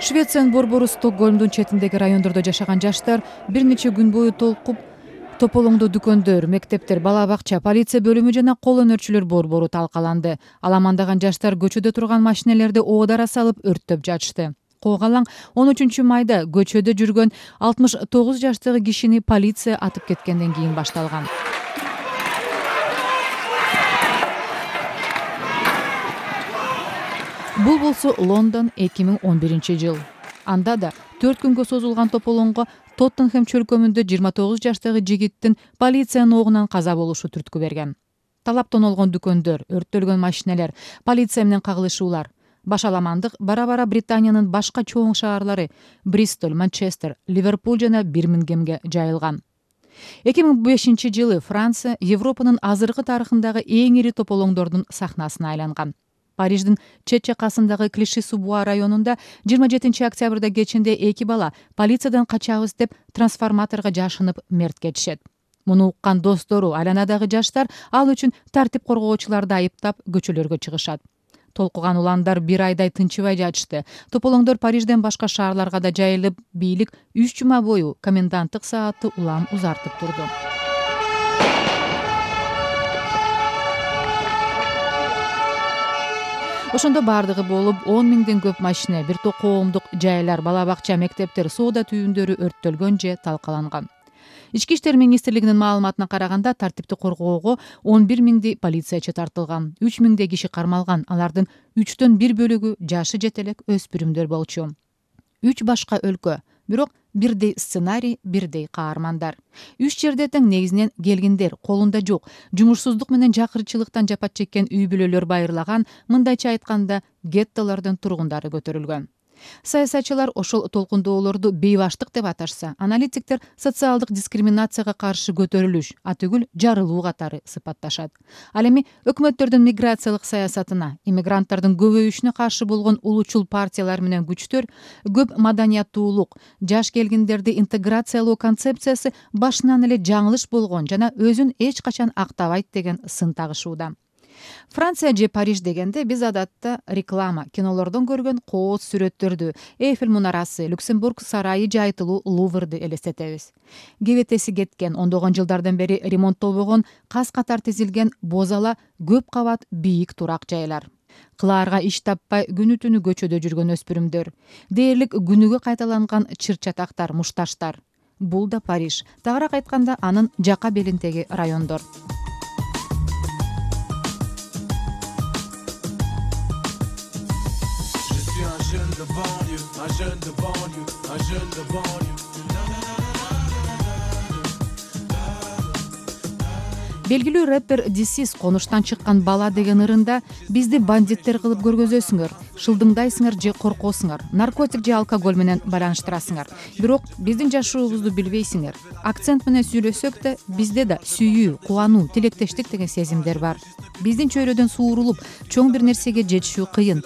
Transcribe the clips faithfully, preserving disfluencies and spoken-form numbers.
Швециянын борбору Стокгольмдун четиндеги райондордо жашаган жаштар бир нече күн бою толкуп тополоңдо дүкөндөр, мектептер, бала бакча, полиция бөлүмү жана кол өнөрчүлөр борбору талкаланды. Аламандаган жаштар көчөдө турган машинелерди оодара салып өрттөп жатышты. Коогалаң он үчүнчү майда көчөдө жүргөн алтымыш тогуз жаштагы кишини полиция атып кеткенден кийин башталган. Бул болсо Лондон эки миң он биринчи жыл. Анда да төрт күнгө созулган тополоңго Тоттенхэм чөлкөмүндө жыйырма тогуз жаштагы жигиттин полициянын огунан каза болушу түрткү берген. Талап тонолгон дүкөндөр, өрттөлгөн машинелер, полиция менен кагылышуулар. Башаламандык бара-бара Британиянын башка чоң шаарлары Бристоль, Манчестер, Ливерпуль жана Бирмингемге жайылган. эки миң бешинчи жылы Франция Европанын азыркы тарыхындагы эң ири тополоңдордун сахнасына айланган. Париждин чет жакасындагы Клиши-Су-Буа районунда жыйырма жетинчи октябрда кечинде эки бала полициядан качабыз деп трансформаторго жашынып мерт кетишет. Муну уккан достору, айланадагы жаштар ал үчүн тартип коргоочуларды айыптап көчөлөргө чыгышат. Толкуган уландар бир айдай тынчыбай жатышты. Тополоңдор Парижден башка шаарларга да жайылып, бийлик үч жума бою коменданттык саатты улам узартып турду. Ошондо бардыгы болуп он миңден көп машина, бир топ коомдук жайлар, бала бакча, мектептер, соода түйүндөрү өрттөлгөн же талкаланган. Ички иштер министрлигинин маалыматына караганда тартипти коргоого он бир миңдей полициячы тартылган, үч миңдей киши кармалган, алардын үчтөн бир бөлүгү жашы жете элек өспүрүмдөр болчу. Үч башка өлкө, бирок бирдей сценарий, бирдей каармандар. Үч жерде тең негизинен келгиндер, колунда жок, жумушсуздук менен жакырчылыктан жапа чеккен үй бүлөлөр байырлаган, мындайча айтканда геттолордун тургундары көтөрүлгөн. Саясатчылар ошол толкундоолорду бейбаштык деп аташса, аналитиктер социалдык дискриминацияга каршы көтөрүлүш, атүгүл жарылуу катары сыпатташат. Ал эми өкмөттөрдүн миграциялык саясатына, иммигранттардын көбөйүшүнө каршы болгон улучул партиялар менен күчтөр көп маданияттуулук, жаш келгиндерди интеграциялоо концепциясы башынан эле жаңылыш болгон жана өзүн эч качан актабайт деген сын тагышууда. Франция же Париж дегенде биз адатта реклама, кинолордон көргөн кооз сүрөттөрдү, Эйфель мунарасы, Люксембург сарайы жайтылуу Луврды элестетебиз. Кебетеси кеткен, ондогон жылдардан бери ремонттолбогон, кас катар тизилген бозала көп кабат бийик турак жайлар. Кылаарга иш таппай күнү түнү көчөдө жүргөн өспүрүмдөр, дээрлик күнүгө кайталанган чыр-чатактар, мушташтар. Бул да Париж, тагыраак айтканда анын жака белиндеги райондор. Белгилүү рэпер Дисис конуштан чыккан бала деген ырында бизди бандиттер кылып көргөзөсүңөр, шылдыңдайсыңар же коркосуңар, наркотик же алкоголь менен байланыштырасыңар. Бирок биздин жашообузду билбейсиңер. Акцент менен сүйлөсөк да, бизде да сүйүү, кубануу, тилектештик деген сезимдер бар. Биздин чөйрөдөн суурулуп, чоң бир нерсеге жетишүү кыйын.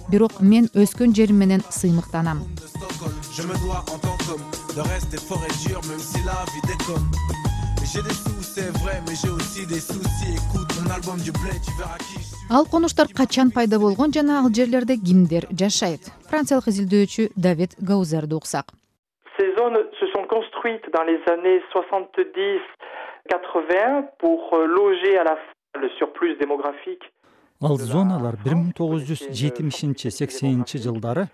Бирок мен өскөн жерим менен сыймыктанам. Ал конуштар качан пайда болгон жана ал жерлерде кимдер жашайт? Франциялык изилдөөчү Давид Гаузерди уксак. Ces zones se sont construites dans les années soixante-dix quatre-vingts pour loger à la fois le surplus démographique. Ал зоналар бир миң тогуз жүз жетимишинчи сексенинчи жылдары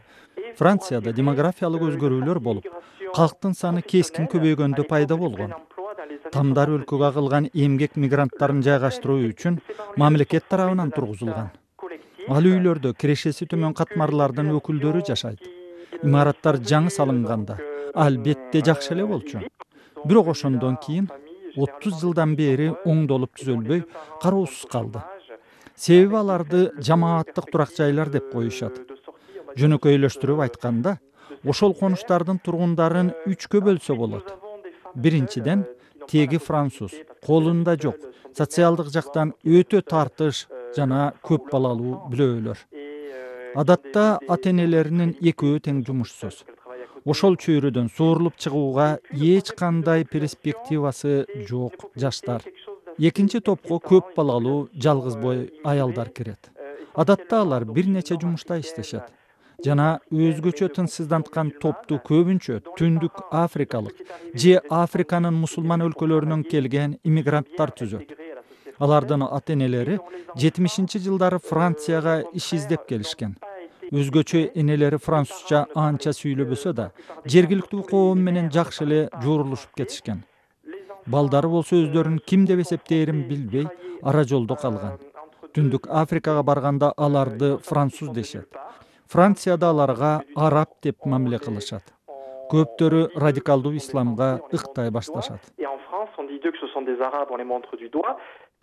Францияда демографиялык өзгөрүүлөр болуп, калктын саны кескин көбөйгөндө пайда болгон. Тамдар өлкөгө агылган эмгек мигранттарын жайгаштыруу үчүн мамлекет тарабынан тургузулган. Ал үйлөрдө кирешеси төмөн катмарлардын өкүлдөрү жашайт. Имараттар жаңы салынганда албетте жакшы эле болчу. Бирок ошондон кийин отуз жылдан бери оңдолуп түзөлбөй кароосуз калды. Себеби аларды жамааттык турак жайлар деп коюшат. Жөнөкөйлөштүрүп айтканда, ошол конуштардын тургундарын үчкө бөлсө болот. Биринчиден, теги француз, колунда жок, социалдык жактан өтө тартыш жана көп балалуу бүлөлөр. Адатта ата-энелеринин экөө тең жумушсуз. Ошол чөйрөдөн суурулуп чыгууга эч кандай перспективасы жок жаштар. Экинчи топко көп балалуу жалгыз бой аялдар кирет. Адатта алар бир нече жумушта иштешет. жана өзгөчө тынчсызданткан топту көбүнчө Түндүк Африкалык же Африканын мусулман өлкөлөрүнөн келген иммигранттар түзөт. Алардын ата-энелери жетимишинчи жылдары Францияга иш издеп келишкен. Өзгөчө энелери французча анча сүйлөбөсө да, жергиликтүү коом менен жакшы эле журулушуп кетишкен. Балдары болсо өздөрүн ким деп эсептээрин билбей, ара жолдо калган. Түндүк Африкага барганда аларды француз дешет. Францияда аларга араб деп мамиле кылышат. Көптөрү радикалдуу исламга ыктай башташат.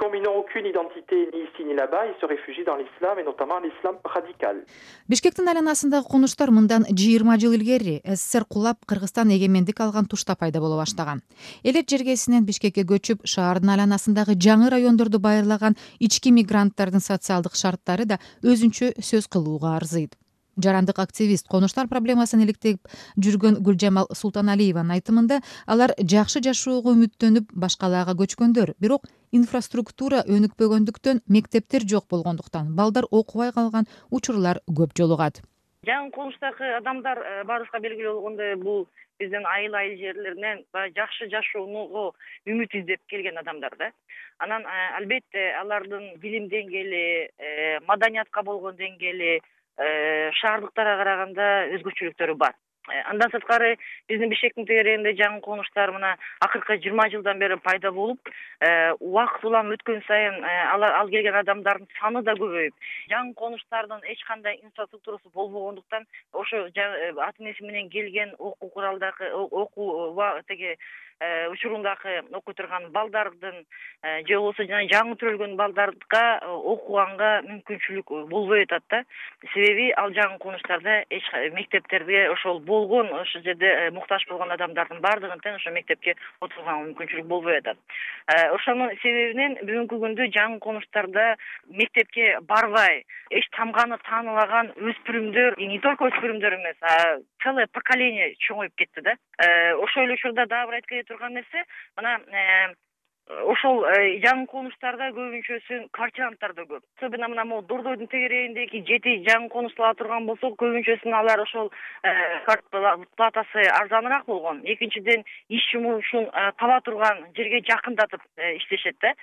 Comme ils n'ont aucune identité ni ici ni là-bas, ils se réfugient dans l'islam et notamment l'islam radical. Бишкектин айланасындагы конуштар мындан жыйырма жыл илгери СССР кулап Кыргызстан эгемендик алган тушта пайда боло баштаган. Элет жергесинен Бишкекке көчүп, шаардын айланасындагы жаңы райондорду байырлаган ички мигранттардын социалдык шарттары да өзүнчө сөз кылууга арзыйт. Жарандык активист конуштар проблемасын иликтеп жүргөн Гүлжамал Султаналиеванын айтымында алар жакшы жашоого үмүттөнүп башкаларга көчкөндөр, бирок инфраструктура өнүкпөгөндүктөн, мектептер жок болгондуктан балдар окубай калган учурлар көп жолугат. Жаңы конуштагы адамдар баарыбызга белгилүү болгондой бул биздин айыл-айыл жерлеринен жакшы жашоого үмүт издеп келген адамдар да. Анан албетте алардын билим деңгээли, маданиятка болгон деңгээли шаардыктарга караганда өзгөчөлүктөрү бар. Андан сырткары биздин Бишкектин тегерегинде жаңы конуштар мына акыркы жыйырма жылдан бери пайда болуп, убакыт улам өткөн сайын ал келген адамдардын саны да көбөйүп, жаңы конуштардын эч кандай инфраструктурасы болбогондуктан ошо ата-энеси менен келген окуу куралдагы окуу теге учурундагы окуй турган балдардын же болбосо жана жаңы төрөлгөн балдарга окуганга мүмкүнчүлүк болбой атат да. Себеби ал жаңы конуштарда эч мектептерде ошол болгон ошол жерде муктаж болгон адамдардын баардыгын тең ошо мектепке отурганга мүмкүнчүлүк болбой атат. Ошонун себебинен бүгүнкү күндө жаңы конуштарда мектепке барбай, эч тамганы таанылаган өспүрүмдөр, не только өспүрүмдөр эмес, а целое поколение чоңоюп кетти да. Ошол эле учурда дагы бир айткым турган нерсе, мына ошол жаңы конуштарда көбүнчөсү квартиранттар да көп. Особенно мына могу Дордойдун тегерегиндеги жети жаңы конушталар турган болсо, көбүнчөсүнүн алар ошол платасы арзаныраак болгон. Экинчиден, иш жумушун таба турган жерге жакындатып иштешет да,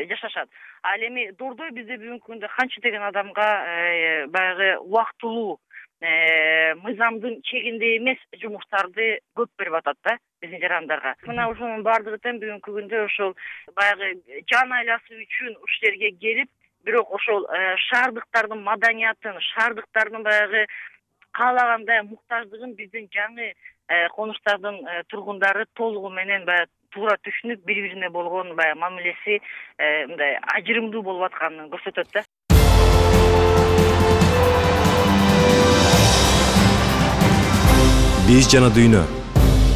жашашат. Ал эми Дордой бизде бүгүнкү күндө канча деген адамга баягы убактылуу мыйзамдын чегинде эмес жумуштарды көп берип атат да биздин жарандарга. Мына ошонун баардыгы тең бүгүнкү күндө ошол баягы жан айласы үчүн ушул жерге келип, бирок ошол шаардыктардын маданиятын, шаардыктардын баягы каалагандай муктаждыгын биздин жаңы конуштардын тургундары толугу менен баягы туура түшүнүп, бири-бирине болгон баягы мамилеси мындай ажырымдуу болуп атканын көрсөтөт да. Биз жана дүйнө.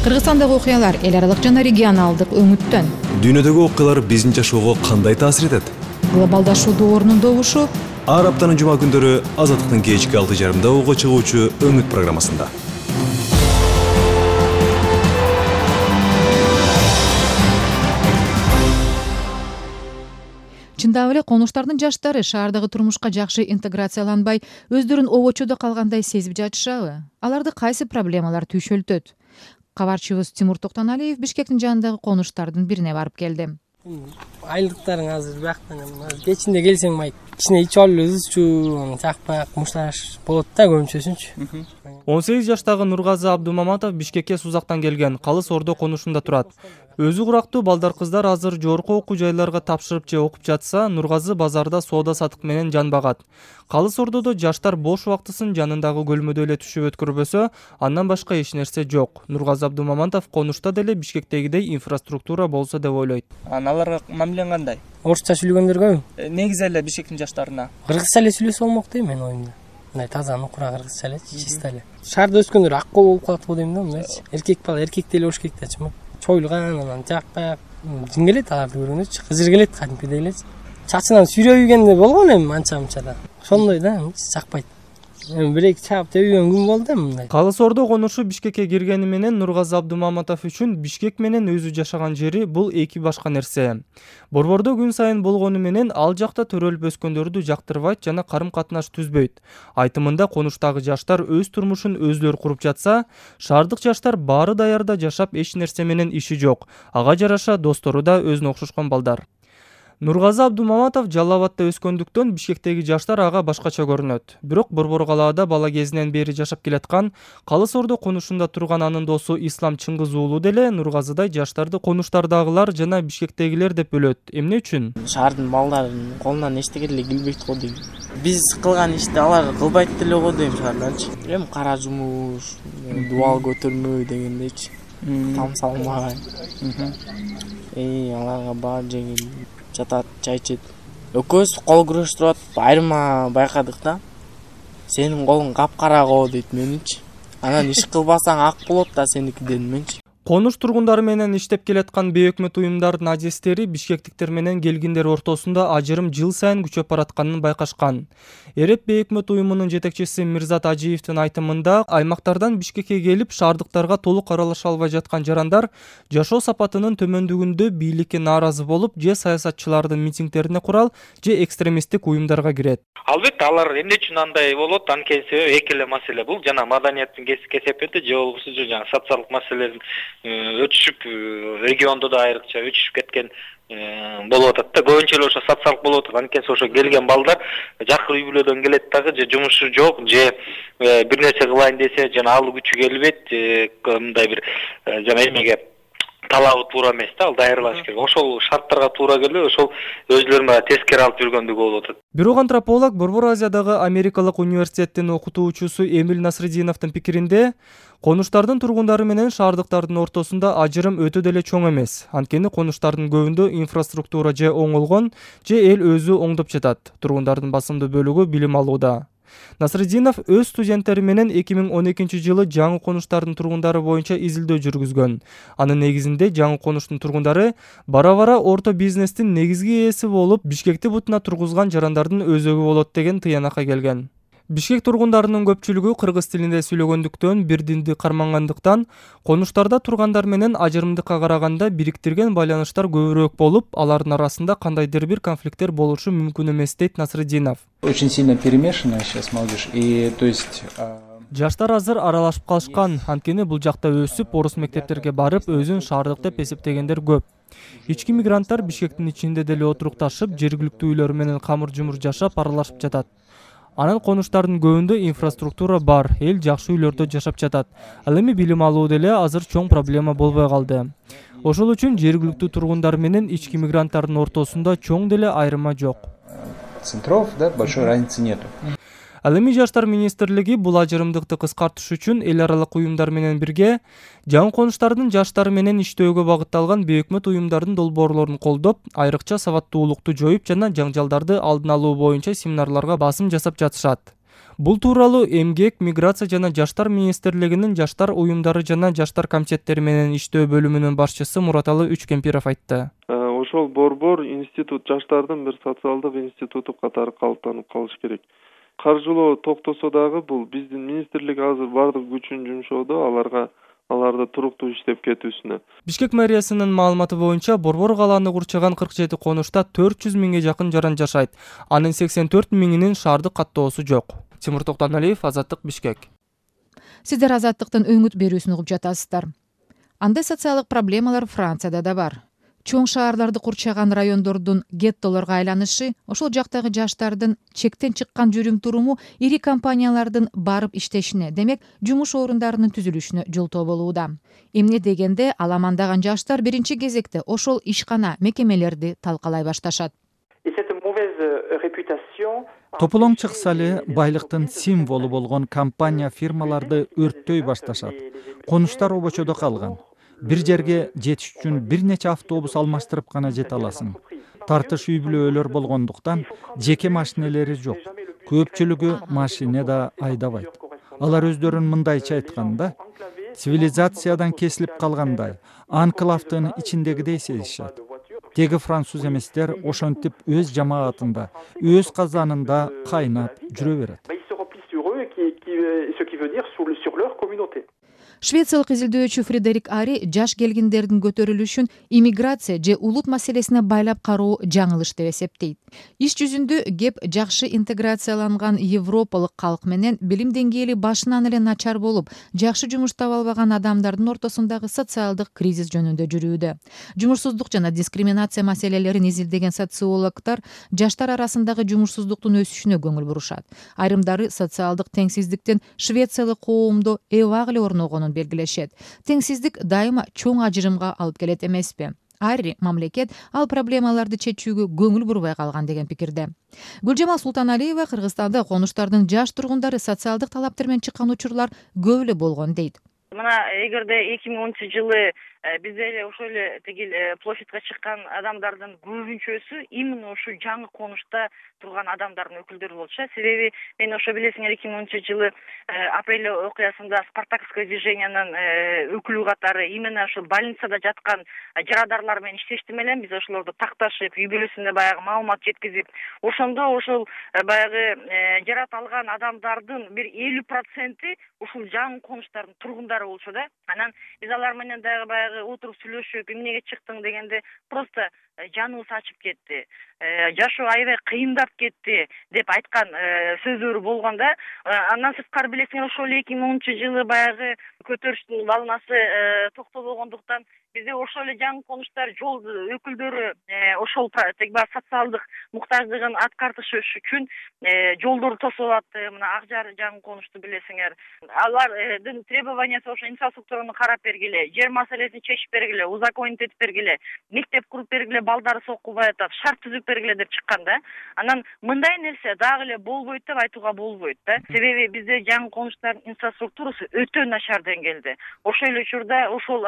Кыргызстандагы окуялар эл аралык жана регионалдык өңүттөн. Дүйнөдөгү окуялар биздин жашоого кандай таасир этет? Глобалдашуу доорунун добушу. Ар аптанын жума күндөрү Азаттыктын кечки алты жарымда уга чыгуучу Өңүт программасында. Чындап эле конуштардын жаштары шаардагы турмушка жакшы интеграцияланбай, өздөрүн обочодо калгандай сезип жатышабы? Аларды кайсы проблемалар түйшөлтөт? Кабарчыбыз Тимур Токтоналиев Бишкектин жанындагы конуштардын бирине барып келди. Айлыктарың азыр бияктан кечинде келсең май кичине ичип алып өзүчү чакпак мушташ болот да көбүнчөсүнчү. он сегиз жаштагы Нургазы Абдумаматов Бишкекке Сузактан келген, Калыс Ордо конушунда турат. Өзү курактуу балдар кыздар азыр жогорку окуу жайларга тапшырып же окуп жатса, Нургазы базарда соода сатык менен жан багат. Калыс Ордодо жаштар бош убактысын жанындагы көлмөдө эле түшүп өткөрбөсө, андан башка эч нерсе жок. Нургазы Абдумаматов конушта деле Бишкектегидей инфраструктура болсо деп ойлойт. Аларга мамилең кандай? Орусча сүйлөгөндөр көбү. Негизи эле Бишкектин жаштарына кыргызча эле сүйлөсө болмок дейм мен оюмда. Мындай таза нукура кыргызча эле, чиста эле. Шаарда өскөндөр ак кол болуп калат го дейм да, мындайчы. Эркек бала эркектей эле болуш керек дачы. Чойлган, анан жакпак, жин келет аларды көргөндөрчү, кызыр келет кадимкидей элечи. Чачынан сүйрөйгенде болгон эми анча-мынча да. Ошондой да, жакпайт. эми бир эки чаап тебиген күн болду мындай. Калыс Ордо конушу Бишкекке киргени менен Нургазы Абдумаматов үчүн Бишкек менен өзү жашаган жери бул эки башка нерсе. Борбордо күн сайын болгону менен ал жакта төрөлүп өскөндөрдү жактырбайт жана карым-катнаш түзбөйт. Айтымында конуштагы жаштар өз турмушун өзлөрү куруп жатса, шаардык жаштар баары даярда жашап эч нерсе менен иши жок. Ага жараша достору да өзүнө окшошкон балдар. Нургазы Абдумаматов Жалал Абадта өскөндүктөн Бишкектеги жаштар ага башкача көрүнөт. Бирок Борбор калаада бала кезинен бери жашап келаткан Калыс Ордо конушунда турган анын досу Ислам Чыңгыз уулу деле Нургазыдай жаштарды конуштардагылар жана Бишкектегилер деп бөлөт. Эмне үчүн? Шаардын балдарынын колунан эчтеке деле келбейт го дейм. Биз кылган ишти алар кылбайт деле го дейм шаарданчы. Эми кара жумуш, дубал көтөрмөй дегендейчи. Там салмай. Эй, аларга баары жеңил. Жатат, чай ичет. Экөөбүз кол күрөштүрүп атып, айырма байкадык да. Сенин колуң капкара го дейт меничи. Анан иш кылбасаң ак болот да сеники дедим менчи. Конуш тургундары менен иштеп келаткан бейөкмөт уюмдардын адистери бишкектиктер менен келгиндер ортосунда ажырым жыл сайын күчөп баратканын байкашкан. Эреп бейөкмөт уюмунун жетекчиси Мирзат Ажиевдин айтымында аймактардан Бишкекке келип шаардыктарга толук аралаша албай жаткан жарандар жашоо сапатынын төмөндүгүндө бийликке нааразы болуп, же саясатчылардын митингдерине курал, же экстремисттик уюмдарга кирет. Албетте алар эмне үчүн андай болот, анткени себеби эки эле маселе бул жана маданияттын кесепети же болбосо жана социалдык маселелердин өтүшүп региондо да айрыкча өтүшүп кеткен болуп атат да. Көбүнчө эле ошо социалдык болуп атат. Анткени ошо келген балдар жакыр үй бүлөдөн келет дагы, же жумушу жок, же бир нерсе кылайын десе жана ал күчү келбейт, мындай бир жана эмеге талабы туура эмес да, ал даярдалыш керек. Ошол шарттарга туура келбей, ошол өзлөрүнө тескери алып жүргөндүгү болуп атат. Бирок антрополог Борбор Азиядагы Америкалык университеттин окутуучусу Эмиль Насрединовдун пикиринде, конуштардын тургундары менен шаардыктардын ортосунда ажырым өтө деле чоң эмес. Анткени конуштардын көбүндө инфраструктура же оңолгон, же эл өзү оңдоп жатат. Тургундардын басымдуу бөлүгү билим алууда. Насрединов өз студенттери менен эки миң он экинчи жылы жаңы конуштардын тургундары боюнча изилдөө жүргүзгөн. Анын негизинде жаңы конуштун тургундары бара-бара орто бизнестин негизги ээси болуп, Бишкекти бутуна тургузган жарандардын өзөгү болот деген тыянакка келген. Бишкек тургундарынын көпчүлүгү кыргыз тилинде сүйлөгөндүктөн, бир динди кармангандыктан, конуштарда тургандар менен ажырымдыкка караганда бириктирген байланыштар көбүрөөк болуп, алардын арасында кандайдыр бир конфликттер болушу мүмкүн эмес дейт Насрединов. Очень сильно перемешанная сейчас молодежь, и то есть жаштар азыр аралашып калышкан, анткени бул жакта өсүп, орус мектептерге барып, өзүн шаардык деп эсептегендер көп. Ички мигранттар Бишкектин ичинде деле отурукташып, жергиликтүү үйлөр менен камыр-жумур жашап, аралашып жатат. Анын конуштардын көбүндө инфраструктура бар, эл жакшы үйлөрдө жашап жатат. Ал эми билим алуу деле азыр чоң проблема болбой калды. Ошол үчүн жергиликтүү тургундар менен ички мигранттардын ортосунда чоң деле айырма жок. Центров, да, большой разницы нету. Ал эми Жаштар министрлиги бул ажырымдыкты кыскартыш үчүн эл аралык уюмдар менен бирге жаңы конуштардын жаштары менен иштөөгө багытталган бейөкмөт уюмдардын долбоорлорун колдоп, айрыкча сабаттуулукту жоюп жана жаңжалдарды алдын алуу боюнча семинарларга басым жасап жатышат. Бул тууралуу Эмгек, Миграция жана Жаштар министрлигинин жаштар уюмдары жана жаштар комитеттери менен иштөө бөлүмүнүн башчысы Мураталы Үчкемпиров айтты. Ошол борбор институт, жаштардын бир социалдык институту катары калыптанып калыш керек. Каржылоо токтосо дагы бул биздин министрлик азыр бардык күчүн жумшоодо аларга аларды туруктуу иштеп кетүүсүнө. Бишкек мэриясынын маалыматы боюнча Борбор калааны курчаган кырк жети конушта төрт жүз миңге жакын жаран жашайт. Анын сексен төрт миңинин шаардык каттоосу жок. Тимур Токтоналиев, Азаттык, Бишкек. Сиздер Азаттыктын өңүт берүүсүн угуп жатасыздар. Андай социалдык проблемалар Францияда да бар. Чоң шаарларды курчаган райондордун геттолорго айланышы, ошол жактагы жаштардын чектен чыккан жүрүм туруму ири компаниялардын барып иштешине, демек жумуш орундарынын түзүлүшүнө жолтоо болууда. Эмне дегенде аламандаган жаштар биринчи кезекте ошол ишкана мекемелерди талкалай башташат. Тополоң чыкса эле байлыктын символу болгон компания фирмаларды өрттөй башташат. Конуштар обочодо калган. Бир жерге жетиш үчүн бир нече автобус алмаштырып гана жете аласың. Тартыш үй бүлөлөр болгондуктан жеке машинелери жок. Көпчүлүгү машина да айдабайт. Алар өздөрүн мындайча айтканда, цивилизациядан кесилип калгандай, анклавдын ичиндегидей сезишет. Теги француз эместер ошентип өз жамаатында, өз казанында кайнап жүрө берет. qui, qui, ce qui veut dire sur, sur leur communauté. Швециялык изилдөөчү Фредерик Ари жаш келгиндердин көтөрүлүшүн иммиграция же улут маселесине байлап кароо жаңылыш деп эсептейт. Иш жүзүндө кеп жакшы интеграцияланган европалык калк менен билим деңгээли башынан эле начар болуп, жакшы жумуш таба албаган адамдардын ортосундагы социалдык кризис жөнүндө жүрүүдө. Жумушсуздук жана дискриминация маселелерин изилдеген социологдор жаштар арасындагы жумушсуздуктун өсүшүнө көңүл бурушат. Айрымдары социалдык теңсиздиктин швециялык коомдо эбак эле орногонун белгилешет. Теңсиздик дайыма чоң ажырымга алып келет эмеспи? Ари мамлекет ал проблемаларды чечүүгө көңүл бурбай калган деген пикирде. Гүлжамал Султаналиева Кыргызстанда конуштардын жаш тургундары социалдык талаптар менен чыккан учурлар көп эле болгон дейт. Мына эгерде эки миң онунчу жылы бизде эле ошол эле тигил площадька чыккан адамдардын көбүнчөсү именно ушу жаңы конушта турган адамдардын өкүлдөрү болчу. Себеби мен ошо билесиңер эки миң онунчу жылы апрель окуясында Спартаковское движениянын өкүлү катары именно ошо больницада жаткан жарадарлар менен иштештим элем. Биз ошолорду такташып, үй бүлөсүнө баягы маалымат жеткизип, ошондо ошол баягы жарат алган адамдардын бир элүү проценти ушул жаңы конуштардын тургундары болчу да. Анан биз алар менен дагы баягы отуруп сүйлөшүп, эмнеге чыктың дегенде просто жаныбыз ачып кетти. Жашоо аябай кыйындап кетти деп айткан сөздөрү болгон да. Андан сырткары билесиңер ошол эки миң онунчу жылы баягы көтөрүштүн балнасы токтобогондуктан бизде ошол эле жаңы конуштар жол өкүлдөрү ошол социалдык муктаждыгын аткартыш үчүн жолдорду тосуп атты. Мына ак жар жаңы конушту билесиңер. Алардын требованиясы ошо инфраструктураны карап бергиле, жер маселесин чечип бергиле, узаконить этип бергиле, мектеп куруп бергиле, балдары окубай атат, шарт түзүп бергиле деп чыккан да. Анан мындай нерсе дагы эле болбойт деп айтууга болбойт да. Себеби бизде жаңы конуштардын инфраструктурасы өтө начар деңгээлде. Ошол эле учурда ошол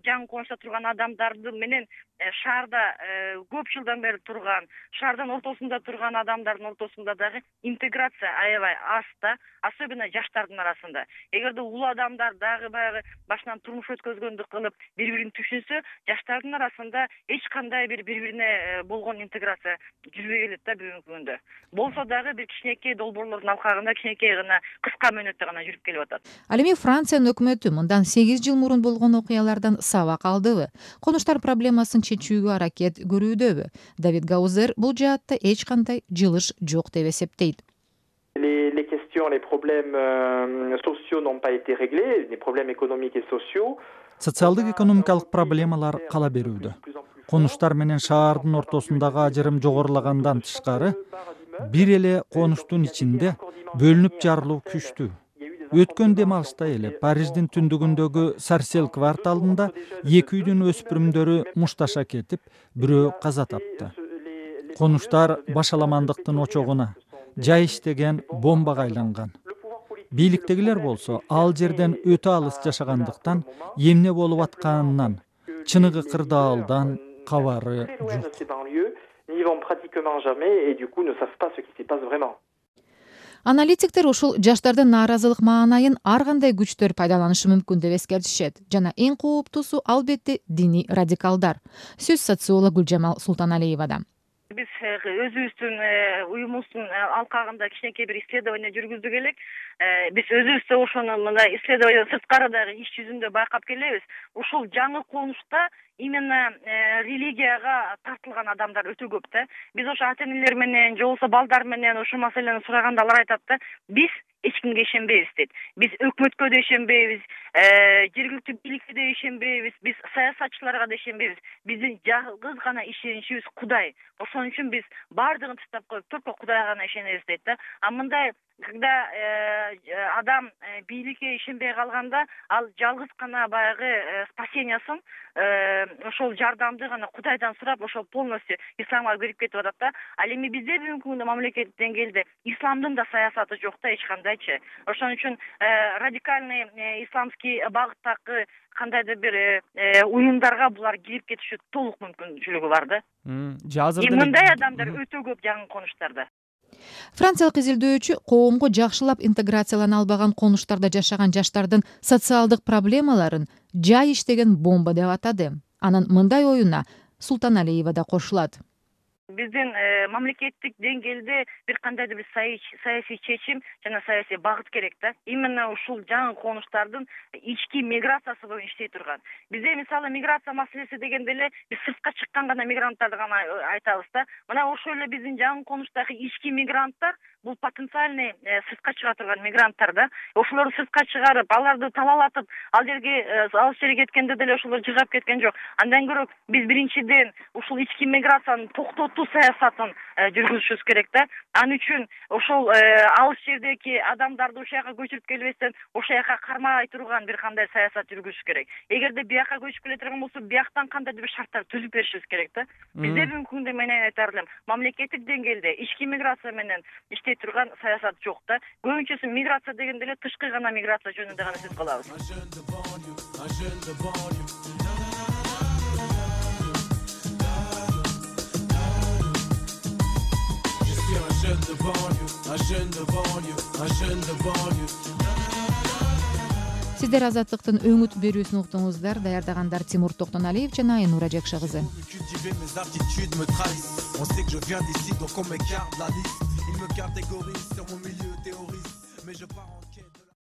жаңы конушта турган адамдардын менен шаарда көп жылдан бери турган, шаардын ортосунда турган адамдардын ортосунда дагы интеграция аябай аз да, особенно жаштардын арасында. Эгерде улуу адамдар дагы баягы башынан турмуш өткөзгөндүк кылып бири-бирин түшүнсө, жаштардын арасында эч кандай бир бири-бирине болгон интеграция жүрбөй келет да бүгүнкү күндө. Болсо дагы бир кичинекей долбоорлордун алкагында кичинекей гана кыска мөөнөттө гана жүрүп келип атат. Ал эми Франциянын өкмөтү мындан сегиз жыл мурун болгон окуялардан сабак алдыбы? Конуштар проблемасын чечүүгө аракет көрүүдөбү? Давид Гаузер бул жаатта эч кандай жылыш жок деп эсептейт. Les questions, les problèmes sociaux n'ont pas été réglés, les problèmes économiques et sociaux. Социалдык экономикалык проблемалар кала берүүдө. Конуштар менен шаардын ортосундагы ажырым жогорулагандан тышкары, бир эле конуштун ичинде бөлүнүп жарылуу күчтүү. Өткөн дем алышта эле Париждин түндүгүндөгү Сарсел кварталында эки үйдүн өспүрүмдөрү мушташа кетип, бирөө каза тапты. Конуштар башаламандыктын очогуна, жай иштеген бомбага айланган. Бийликтегилер болсо ал жерден өтө алыс жашагандыктан эмне болуп атканынан, чыныгы кырдаалдан кабары жок. Аналитиктер ушул жаштардын нааразылык маанайын ар кандай күчтөр пайдаланышы мүмкүн деп эскертишет. Жана эң кооптуусу албетте диний радикалдар. Сөз социолог Гүлжамал Султаналиевада. Биз өзүбүздүн уюмубуздун алкагында кичинекей бир исследование жүргүздүк элек. Биз өзүбүздө ошону мындай исследование сырткарыдагы иш жүзүндө байкап келебиз. Ушул жаңы конушта именно религияга тартылган адамдар өтө көп да. Биз ошо ата-энелер менен, же болбосо балдар менен ошол маселени сураганда алар айтат да, биз эч кимге ишенбейбиз дейт. Биз өкмөткө да ишенбейбиз, жергиликтүү бийликке да ишенбейбиз, биз саясатчыларга да ишенбейбиз. Биздин жалгыз гана ишеничибиз Кудай. Ошон үчүн биз баардыгын таштап коюп, только Кудайга гана ишенебиз дейт да. А мындай когда адам бийликке ишенбей калганда, ал жалгыз гана баягы спасениясын, ошол жардамды гана Кудайдан сурап, ошол полностью исламга кирип кетип атат да. Ал эми бизде бүгүнкү күндө мамлекет деңгээлде исламдын да саясаты жок да эч кандайчы. Ошон үчүн радикальный исламский багыттагы кандайдыр бир уюмдарга булар кирип кетиши толук мүмкүнчүлүгү бар да. Мындай адамдар өтө көп жаңы конуштарда. Франциялык изилдөөчү коомго жакшылап интеграциялана албаган конуштарда жашаган жаштардын социалдык проблемаларын жай иштеген бомба деп атады. Анын мындай оюна Султаналиева да кошулат. биздин мамлекеттик деңгээлде бир кандайдыр бир саясий чечим жана саясий багыт керек да. Именно ушул жаңы конуштардын ички миграциясы боюнча иштей турган. Бизде мисалы миграция маселеси дегенде эле биз сыртка чыккан гана мигранттарды гана айтабыз да. Мына ошол эле биздин жаңы конуштагы ички мигранттар бул потенциальный сыртка чыга турган мигранттар да. Ошолорду сыртка чыгарып, аларды талаалатып, ал жерге алыс жерге кеткенде деле ошолор жыгап кеткен жок. Андан көрө биз биринчиден ушул ички миграцияны токтотуу саясатын жүргүзүшүбүз керек да. Ал үчүн ошол алыс жердеги адамдарды ошол жака көчүрүп келбестен ошол жака кармай турган бир кандай саясат жүргүзүш керек. Эгерде бияка көчүп келе турган болсо, бияктан кандайдыр бир шарттар түзүп беришибиз керек да. Бизде бүгүнкү күндө мен айтар элем, мамлекеттик деңгээлде ички миграция менен иштей турган саясат жок да. Көбүнчөсү миграция дегенде эле тышкы гана миграция жөнүндө гана сөз кылабыз. Сиздер Азаттыктын өңүт берүүсүн уктуңуздар. Даярдагандар Тимур Токтоналиев жана Айнура Жакшы кызы. Il me catégorise sur mon milieu théoriste, mais je pars en quête.